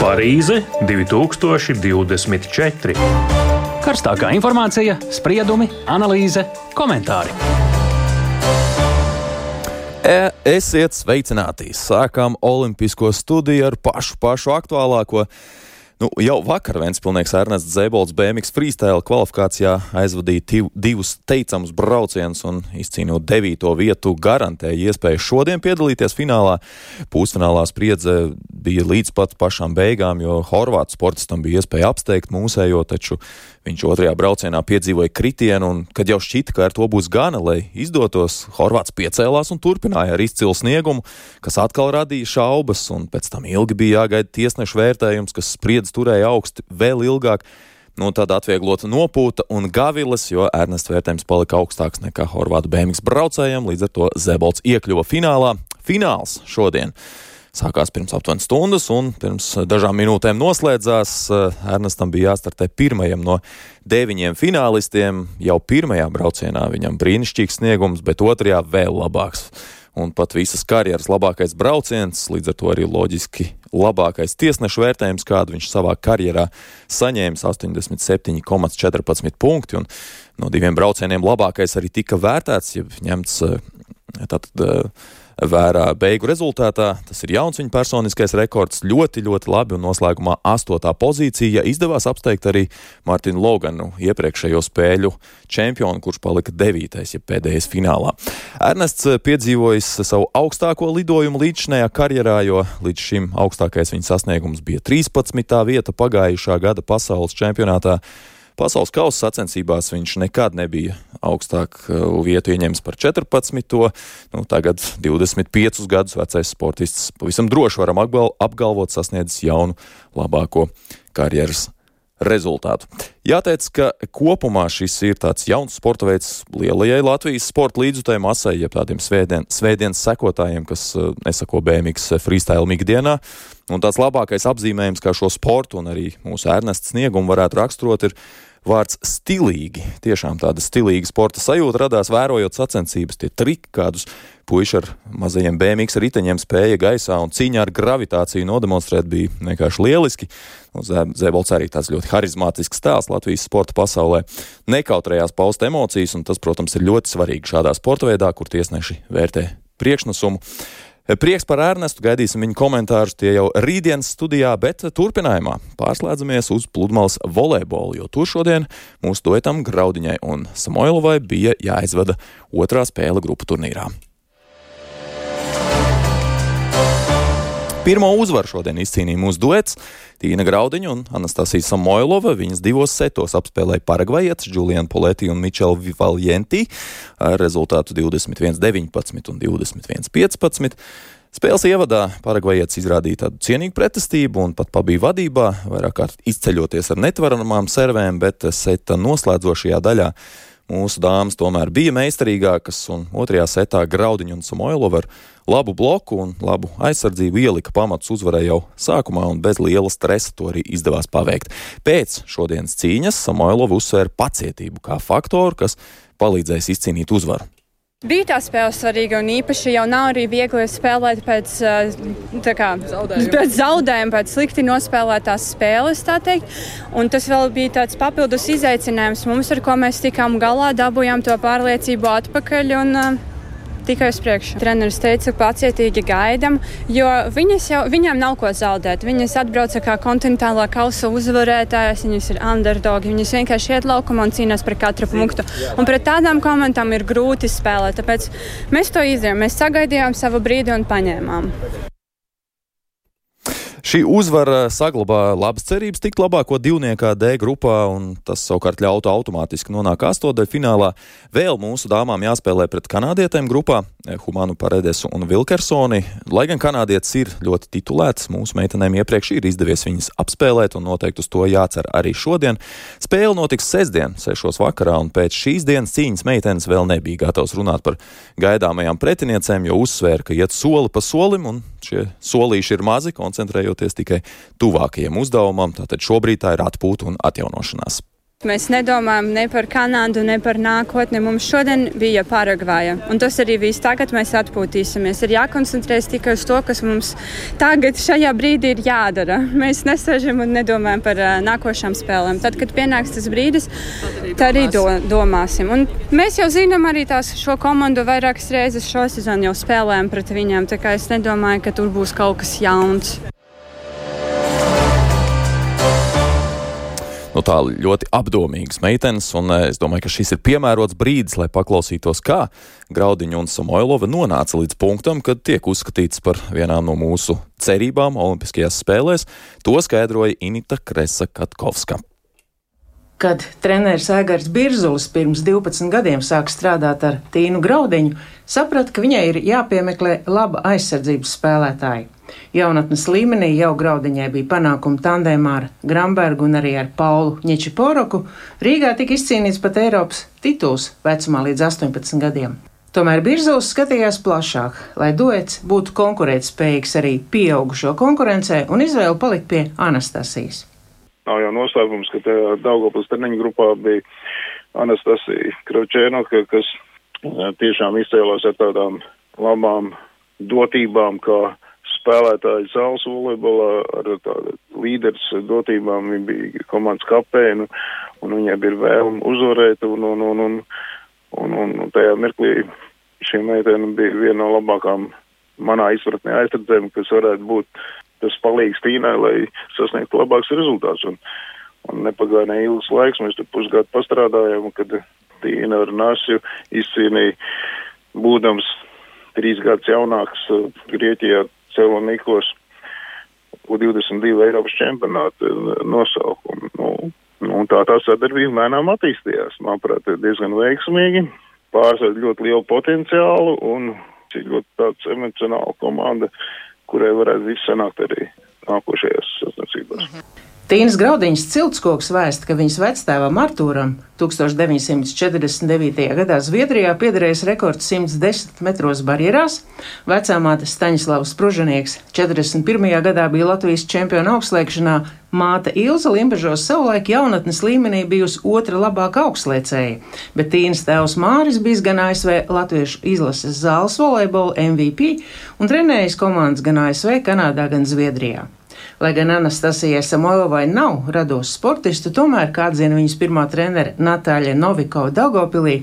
Parīze 2024. Karstākā informācija, spriedumi, analīze, komentāri. Esiet sveicināti! Sākām olimpisko studiju ar pašu aktuālāko. Jau vakar ventspilnieks Ernests Zēbolts BMX freestyle kvalifikācijā aizvadīja divus teicamus braucienus un izcīnot 9. vietu garantēja iespēju šodien piedalīties finālā. Pusfinālā spriedze bija līdz pat pašām beigām, jo horvātu sportistam bija iespēja apsteigt mūsējo, taču viņš otrajā braucienā piedzīvoja kritienu, un kad jau šķita, ka ar to būs gana, lai izdotos, horvāts piecēlās un turpināja ar izcilu sniegumu, kas atkal radīja šaubas, un pēc tam ilgi bija jāgaida tiesnešu vērtējums, kas spriedzi turēja augsti vēl ilgāk. Tad atvieglota nopūta un gaviles, jo Ernesta vērtējums palika augstāks nekā horvātu BMX braucējiem, līdz ar to Zēbolts iekļuva finālā. Fināls šodien sākās pirms aptuveni stundas un pirms dažām minūtēm noslēdzās. Ernestam bija jāstartē pirmajam no 9 finālistiem. Jau pirmajā braucienā viņam brīnišķīgs sniegums, bet otrajā vēl labāks. Un pat visas karjeras labākais brauciens, līdz ar to arī loģiski labākais tiesnešu vērtējums, kādu viņš savā karjerā saņēmis, 87,14 punkti. Un no 2 braucieniem labākais arī tika vērtēts, ja ņemts vērā beigu rezultātā. Tas ir jauns viņa personiskais rekords, ļoti labi, un noslēgumā 8. pozīcija. Izdevās apsteigt arī Martinu Loganu, iepriekšējo spēļu čempionu, kurš palika 9. ja pēdējais finālā. Ernests piedzīvojis savu augstāko lidojumu līdzšinējā karjerā, jo līdz šim augstākais viņa sasniegums bija 13. vieta pagājušā gada pasaules čempionātā. Pasaules kausa sacensībās viņš nekad nebija augstāk vietu ieņems par 14. Tagad 25 gadus vecais sportists pavisam droši varam apgalvot sasniedzis jaunu labāko karjeras rezultātu. Jāteic, ka kopumā šis ir tāds jauns sporta veids lielajai Latvijas sporta līdzjutēji masai, jeb tādiem svētdienas sekotājiem, kas nesako BMX freestyle ikdienā. Un tāds labākais apzīmējums, kā šo sportu un arī mūsu Ernesta sniegumu varētu raksturot, ir vārds stilīgi. Tiešām tāda stilīga sporta sajūta radās vērojot sacensības. Tie triki, kādus puiši ar mazajiem BMX riteņiem spēja gaisā un cīņā ar gravitāciju nodemonstrēt, bija vienkārši lieliski. Zēbolts arī tāds ļoti harizmātisks tēls Latvijas sporta pasaulē. Nekautrējās paust emocijas, un tas, protams, ir ļoti svarīgi šādā sporta veidā, kur tiesneši vērtē priekšnesumu. Prieks par Ernestu, gaidīsim viņu komentārus, tie jau rītdienas studijā, bet turpinājumā pārslēdzamies uz pludmales volejbolu, jo tur šodien mūsu duetam Graudiņai un Samoilovai bija jāizvada otrā spēle grupu turnīrā. Pirmo uzvaru šodien izcīnīja mūsu duets Tīna Graudiņa un Anastasija Samoilova. Viņas 2 setos apspēlēja paragvajietis Julianu Poleti un Mičelu Vivaljenti ar rezultātu 21-19 un 21-15. Spēles ievadā paragvajietis izrādīja tādu cienīgu pretestību un pat pabija vadībā, vairāk kārt izceļoties ar netvaramām servēm, bet seta noslēdzošajā daļā mūsu dāmas tomēr bija meistarīgākas, un otrajā setā Graudiņa un Samoilova ar labu bloku un labu aizsardzību ielika pamatus uzvarai jau sākumā, un bez liela stresa to arī izdevās paveikt. Pēc šodienas cīņas Samoilova uzsvēra pacietību kā faktoru, kas palīdzēs izcīnīt uzvaru. Bija tā spēle svarīga, un īpaši jau nav arī viegli spēlēt pēc zaudējuma, pēc slikti nospēlētās spēles, tā teikt. Un tas vēl bija tāds papildus izaicinājums mums, ar ko mēs tikām galā, dabūjām to pārliecību atpakaļ un tikai uz priekšu. Treneris teica, pacietīgi gaidam, jo viņām nav ko zaudēt. Viņas atbrauca kā kontinentālā kausa uzvarētājas, viņas ir underdogi, viņas vienkārši iet laukumā un cīnās par katru punktu. Un pret tādām komandām ir grūti spēlēt, tāpēc mēs to izdarījām. Mēs sagaidījām savu brīdi un paņēmām. Šī uzvara saglabā labas cerības tikt labāko divniekā D grupā, un tas savukārt ļautu automātiski nonākt astotdaļfinālā. Vēl mūsu dāmām jāspēlē pret kanādietēm grupā, Humanu Paredesu un Vilkersoni. Lai gan kanādietis ir ļoti titulēts, mūsu meitenēm iepriekš ir izdevies viņas apspēlēt, un noteikti uz to jācer arī šodien. Spēle notiks sestdien, 6 vakarā, un pēc šīs dienas cīņas meitenes vēl nebija gatavs runāt par gaidāmajām pretiniecēm, jo uzsvēra, ka iet soli pa solim, un šie solīši ir mazi, koncentrējoties tikai tuvākajiem uzdevumam. Tātad šobrīd tā ir atpūta un atjaunošanās. Mēs nedomājam ne par Kanādu, ne par nākotni. Mums šodien bija Paragvaja, un tas arī viss. Tagad mēs atpūtīsimies. Ir jākoncentrēs tikai uz to, kas mums tagad šajā brīdī ir jādara. Mēs nesēžam un nedomājam par nākošām spēlēm. Tad, kad pienāks tas brīdis, tad arī domāsim. Un mēs jau zinām arī šo komandu vairākas reizes šo sezonu jau spēlējam pret viņiem, tā kā es nedomāju, ka tur būs kaut kas jauns. Tā ļoti apdomīgas meitenes, un es domāju, ka šis ir piemērots brīdis, lai paklausītos, kā Graudiņa un Samoilova nonāca līdz punktam, kad tiek uzskatīts par vienām no mūsu cerībām Olimpiskajās spēlēs. To skaidroja Inita Kresa-Katkovska. Kad treneris Aigars Birzulis pirms 12 gadiem sāk strādāt ar Tīnu Graudiņu, saprata, ka viņai ir jāpiemeklē laba aizsardzības spēlētāja. Jaunatnes līmenī jau Graudiņai bija panākumi tandēmā ar Grambergu un arī ar Paulu Ņečiporoku. Rīgā tika izcīnīts pat Eiropas tituls vecumā līdz 18 gadiem. Tomēr Birzulis skatījās plašāk, lai duets būtu konkurētspējīgs arī pieaugušo konkurencē, un izvēle palika pie Anastasijas. Nav jau noslēpums, ka Daugavpils treniņu grupā bija Anastasija Kravčēnoka, kas tiešām izcēlās ar tādām labām dotībām, kā spēlētāji saules volejbolā, ar tādu līderis dotībām. Viņa bija komandas kapteine, un viņai bija vēlme uzvarēt, un tajā mirklī šī meitene bija viena no labākām manā izpratnē aizsardzēm, kas varētu būt tas palīgs Tīnai, lai sasniegtu labāks rezultāts. Un nepagāja neilgs laiks, mēs tur pusgadu pastrādājām, kad Tīna ar Nasju izcīnīja, būdams 3 gadus jaunāks Grieķijā Celonikos U22 Eiropas čempionāta nosaukumu. Un tā sadarbība mēnām attīstījās. Manuprāt, diezgan veiksmīgi, pārsvarā ļoti lielu potenciālu un ļoti tāds emocionāla komanda, kurai varētu viss sanākt arī nākošajās sacensībās. Tīnas Graudiņas ciltskoks vēsta, ka viņas vectēvam Artūram 1949. gadā Zviedrijā piederējis rekords 110 metros barjerās, vecāmāte Staņislavs Pružanieks 41. gadā bija Latvijas čempiona augstslēgšanā, māte Ilza Limbežos savulaik jaunatnes līmenī bijusi otra labākā augstslēcēja, bet Tīnas tēvs Māris bijis gan ASV Latviešu izlases zāles volejbola MVP un trenējis komandas gan ASV, Kanādā, gan Zviedrijā. Lai gan Anastasijai Samoilovai nav rados sportistu, tomēr, kā atzina viņas pirmā trenere Natāļa Novikova Daugavpilī,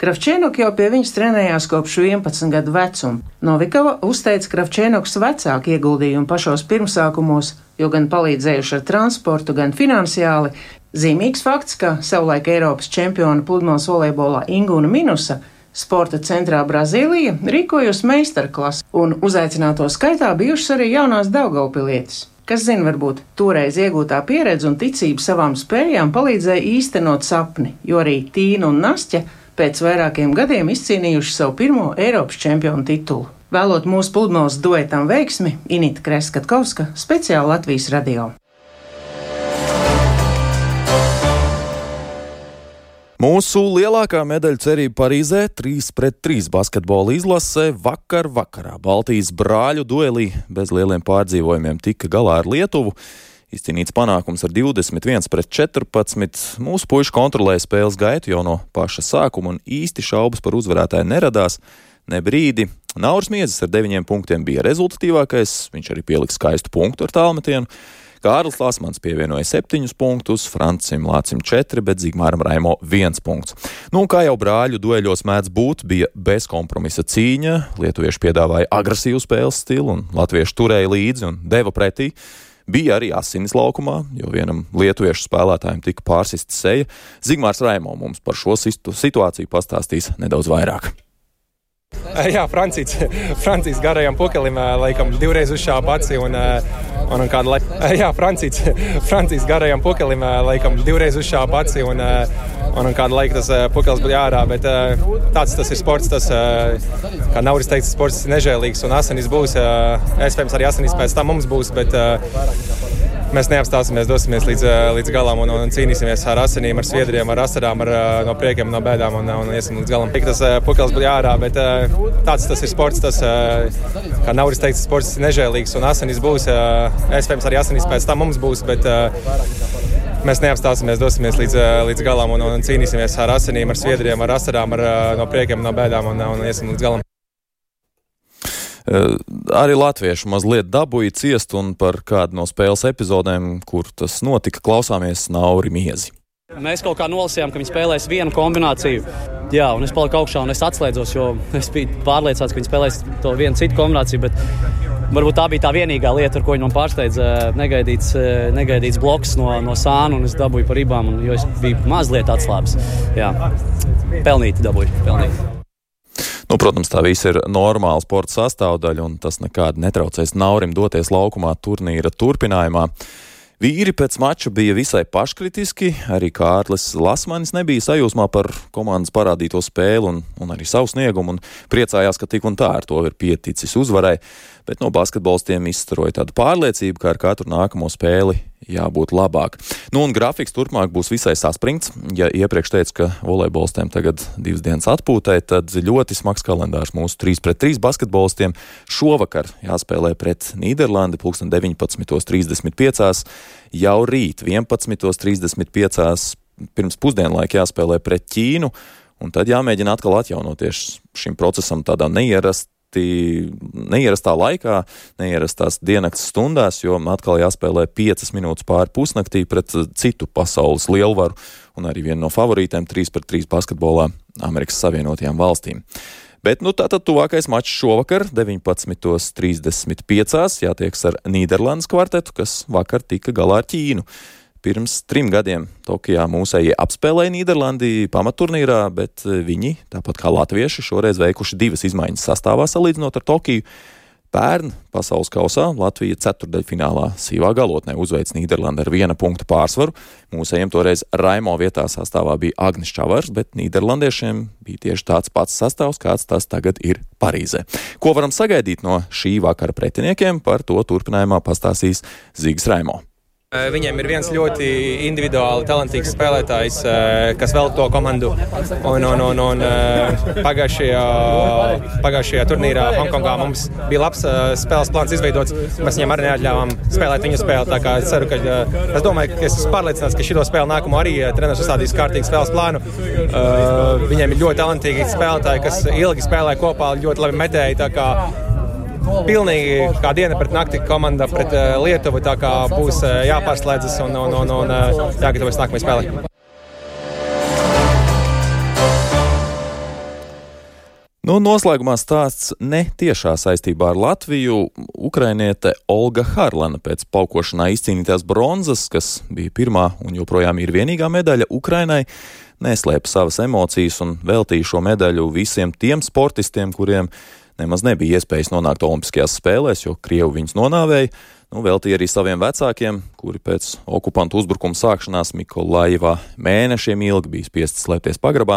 Kravčēnok jau pie viņas trenējās kopš 11 gadu vecuma. Novikova uzteica Kravčēnoks vecāku ieguldījumu pašos pirmsākumos, jo gan palīdzējuši ar transportu, gan finansiāli. Zīmīgs fakts, ka savulaik Eiropas čempiona pludmales volejbolā Ingūna Minusa sporta centrā Brazīlija rīkojusi meistarklasi, un uzaicināto skaitā bijušas arī jaunās Daugavpilietes. Kas zina, varbūt toreiz iegūtā pieredze un ticība savām spējām palīdzēja īstenot sapni, jo arī Tīna un Nastja pēc vairākiem gadiem izcīnījuši savu pirmo Eiropas čempionu titulu. Vēlot mūsu pludmales duetam veiksmi, Inita Kresa-Katkovska, speciāli Latvijas radio. Mūsu lielākā medaļu cerība Parīzē 3-3 basketbola izlase vakarā Baltijas brāļu duelī bez lieliem pārdzīvojumiem tika galā ar Lietuvu. Izcīnīts panākums ar 21-14. Mūsu puiši kontrolēja spēles gaitu jau no paša sākuma un īsti šaubas par uzvarētāju neradās. Ne brīdi. Nauris Miezis ar 9 punktiem bija rezultatīvākais, viņš arī pielika skaistu punktu ar tālmetienu. Kārlis Lasmans pievienoja 7 punktus, Francim Lācim 4, bet Zigmāram Raimo 1 punkts. Kā jau brāļu dueļos mēdz būt, bija bezkompromisa cīņa, lietuvieši piedāvāja agresīvu spēles stilu un latvieši turēja līdzi un deva pretī. Bija arī asinis laukumā, jo vienam lietuviešu spēlētājiem tika pārsista seja. Zigmārs Raimo mums par šo situāciju pastāstīs nedaudz vairāk. Jā, Francijas garajam pukelim laikam 2 reizes uzšāpa aci un kādu laiku. Jā, Francijas garajam pukelim laikam 2 reizes uzšāpa aci un kādu laiku tas pukels bija ārā, bet tāds tas ir sports, tas, kā Nauris teica, sports ir nežēlīgs un asinis būs, iespējams arī asinis pēc tam mums būs, bet mēs neapstāsimies, dosimies līdz galam un cīnīsimies ar asinīm, ar sviedriem, ar asarām, no priekiem, no bēdām un iesim līdz galam. Tas pukels bija ārā, bet tāds tas ir sports, tas, kā Nauris teica, sports ir nežēlīgs un asinis būs, iespējams arī asinis pēc tam mums būs, bet mēs neapstāsimies, dosimies līdz galam un cīnīsimies ar asinīm, ar sviedriem, ar asarām, no priekiem, no bēdām un iesim līdz galam. Arī latvieši mazliet dabūja ciest un par kādu no spēles epizodēm, kur tas notika, klausāmies Nauri Miezi. Mēs kaut kā nolasījām, ka viņi spēlēs vienu kombināciju. Jā, un es paliku augšā un es atslēdzos, jo es biju pārliecināts, ka viņi spēlēs to vienu citu kombināciju, bet varbūt tā bija tā vienīgā lieta, ar ko viņi man pārsteidza negaidīts bloks no sāna, un es dabūju par ribām, jo es biju mazliet atslābis. Jā, pelnīti dabūju. Protams, tā viss ir normāla sporta sastāvdaļa, un tas nekādi netraucēs Naurim doties laukumā turnīra turpinājumā. Vīri pēc mača bija visai paškritiski, arī Kārlis Lasmanis nebija sajūsmā par komandas parādīto spēli un arī savu sniegumu, un priecājās, ka tik un tā ar to ir pieticis uzvarai, bet no basketbolistiem izstaroja tādu pārliecību, ka ar katru nākamo spēli jābūt labāk. Un grafiks turpmāk būs visai saspringts. Ja iepriekš teicu, ka volejbolistiem tagad 2 dienas atpūtai, tad ļoti smags kalendārs mūsu 3-3 basketbolistiem. Šovakar jāspēlē pret Nīderlandi 19:35, jau rīt 11:35 pirms pusdienlaika jāspēlē pret Ķīnu, un tad jāmēģina atkal atjaunoties šim procesam tādā neierastā laikā, neierastās diennakts stundās, jo atkal jāspēlē 5 minūtes pāri pusnaktī pret citu pasaules lielvaru un arī vienu no favorītēm 3-3 basketbolā Amerikas Savienotajām valstīm. Bet tātad tuvākais mačs šovakar 19:35 jātieks ar Nīderlandes kvartetu, kas vakar tika galā ar Ķīnu. Pirms 3 gadiem Tokijā mūsējie apspēlēja Nīderlandi pamatturnīrā, bet viņi, tāpat kā latvieši, šoreiz veikuši 2 izmaiņas sastāvā salīdzinot ar Tokiju. Pērn pasaules kausā Latvija ceturdaļfinālā sīvā galotnē uzveic Nīderlandi ar 1 punktu pārsvaru. Mūsējiem toreiz Raimo vietā sastāvā bija Agnis Čavars, bet nīderlandiešiem bija tieši tāds pats sastāvs, kāds tas tagad ir Parīzē. Ko varam sagaidīt no šī vakara pretiniekiem, par to turpinājumā pastāstīs Zigs Raimo. Viņiem ir viens ļoti individuāli talantīgs spēlētājs, kas vēl to komandu. Un pagājušajā turnīrā Hongkongā mums bija labs spēles plāns izveidots. Mēs viņiem arī neatļāvām spēlēt viņu spēli. Tā kā es domāju, ka es esmu pārliecināts, ka šito spēli nākamo arī treneris uzstādīs kārtīgu spēles plānu. Viņiem ir ļoti talantīgi spēlētāji, kas ilgi spēlē kopā, ļoti labi metēji. Tā kā pilnīgi kā diena pret nakti komanda pret Lietuvu, tā kā būs jāpārslēdzas un jāgatavojas nākamajai spēlē. Noslēgumā stāsts ne tiešā saistībā ar Latviju. Ukrainiete Olga Harlana pēc paukošanā izcīnītās bronzas, kas bija pirmā un joprojām ir vienīgā medaļa Ukrainai, neslēpa savas emocijas un veltīja šo medaļu visiem tiem sportistiem, kuriem nemaz nebija iespējas nonākt Olimpiskajās spēlēs, jo Krievi viņus nonāvēja. Veltīja arī saviem vecākiem, kuri pēc okupantu uzbrukuma sākšanās Mikolājevā mēnešiem ilgi bija spiesti slēpties pagrabā.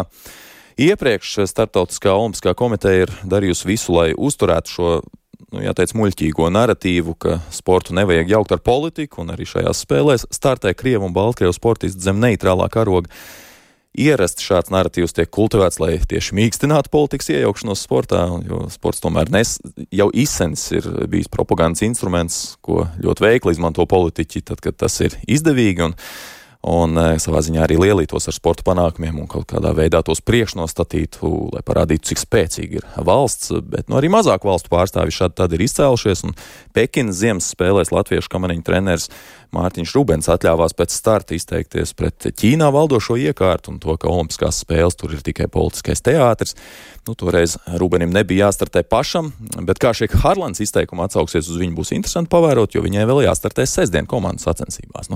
Iepriekš Startautiskā olimpiskā komiteja ir darījusi visu, lai uzturētu šo, jāteic, muļķīgo naratīvu, ka sportu nevajag jaukt ar politiku, un arī šajās spēlēs startē Krievu un Baltkrievu sportisti zem neitrālā karoga. Ierasti šāds naratīvs tiek kultivēts, lai tieši mīkstinātu politikas iejaukšanos sportā, jo sports tomēr jau izsens ir bijis propagandas instruments, ko ļoti veikli izmanto politiķi, tad, kad tas ir izdevīgi, un savā ziņā arī lielītos ar sporta panākumiem un kaut kādā veidā tos priekšnostatītu, lai parādītu, cik spēcīgi ir valsts, bet arī mazāk valstu pārstāvji šādi tad ir izcēlušies, un Pekinas ziemas spēlēs latviešu kamaniņu treneris Mārtiņš Rubens atļāvās pēc starta izteikties pret Ķīnā valdošo iekārtu un to, ka olimpiskās spēles tur ir tikai politiskais teātris. Toreiz Rubenim nebija jāstartē pašam, bet kā šeit Harlans izteikuma atsauksies uz viņu būs interesanti pavērot, jo viņai vēl jāstartē sestdien komandas sacensībās.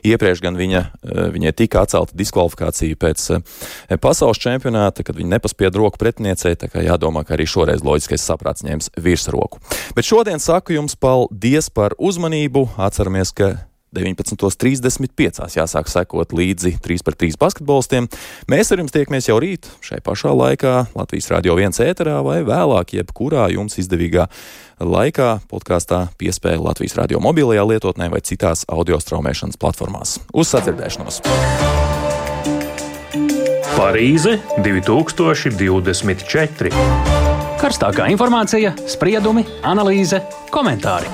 Iepriekš gan viņai tika atcelta diskvalifikācija pēc pasaules čempionāta, kad viņa nepaspieda roku pretiniecei, tā kā jādomā, ka arī šoreiz loģiskais saprāts ņems virsroku. Bet šodien saku jums paldies par uzmanību, atceramies, ka 19:35 jāsāk sekot līdzi 3-3 basketbolistiem. Mēs ar jums tiekamies jau rīt, šai pašā laikā, Latvijas Radio 1 ēterā vai vēlāk, jebkurā jums izdevīgā laikā, podkāstā piespēja Latvijas Radio mobilajā lietotnē vai citās audio straumēšanas platformās. Uz sadzirdēšanos! Parīze 2024. Karstākā informācija, spriedumi, analīze, komentāri.